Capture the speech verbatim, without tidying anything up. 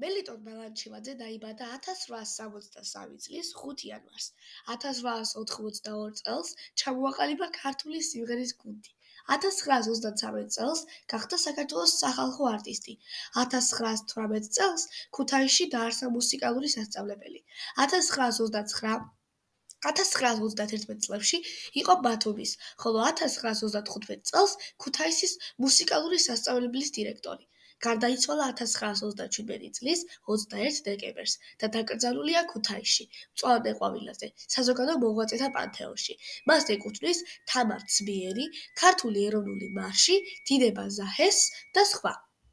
მელიტონ ბალანჩივაძე დაიბადა ათას რვაას სამოცდასამი წლის ხუთი იანვარს. ათას რვაას ოთხმოცდაორი წელს ჩამოაყალიბა ქართული სიმღერის გუნდი. ათას ცხრაას ოცდათვრამეტ წელს გახდა საქართველოს სახალხო არტისტი. ათას ცხრაას თვრამეტ წელს ქუთაისში დაარსა მუსიკალური სასწავლებელი. ათას ცხრაას ოცდაცხრა ათას ცხრაას ოცდაათერთმეტ წლებში იყო ბათუმის, ხოლო ათას ცხრაას ოცდათხუთმეტ წელს ქუთაისის მუსიკალური სასწავლებლის დირექტორი. გარდაიცვალა ათას ცხრაას ოცდაჩვიდმეტი წლის ოცდაერთ დეკემბერს და დაკრძალულია ქუთაისში, მწვანე ყვავილაზე, საზოგადო მოღვაწეთა პანთეონში. მას ეკუთვნის თამარ ცბიერი, ქართული ეროვნული მარში, დინება ზაჰეს და სხვა.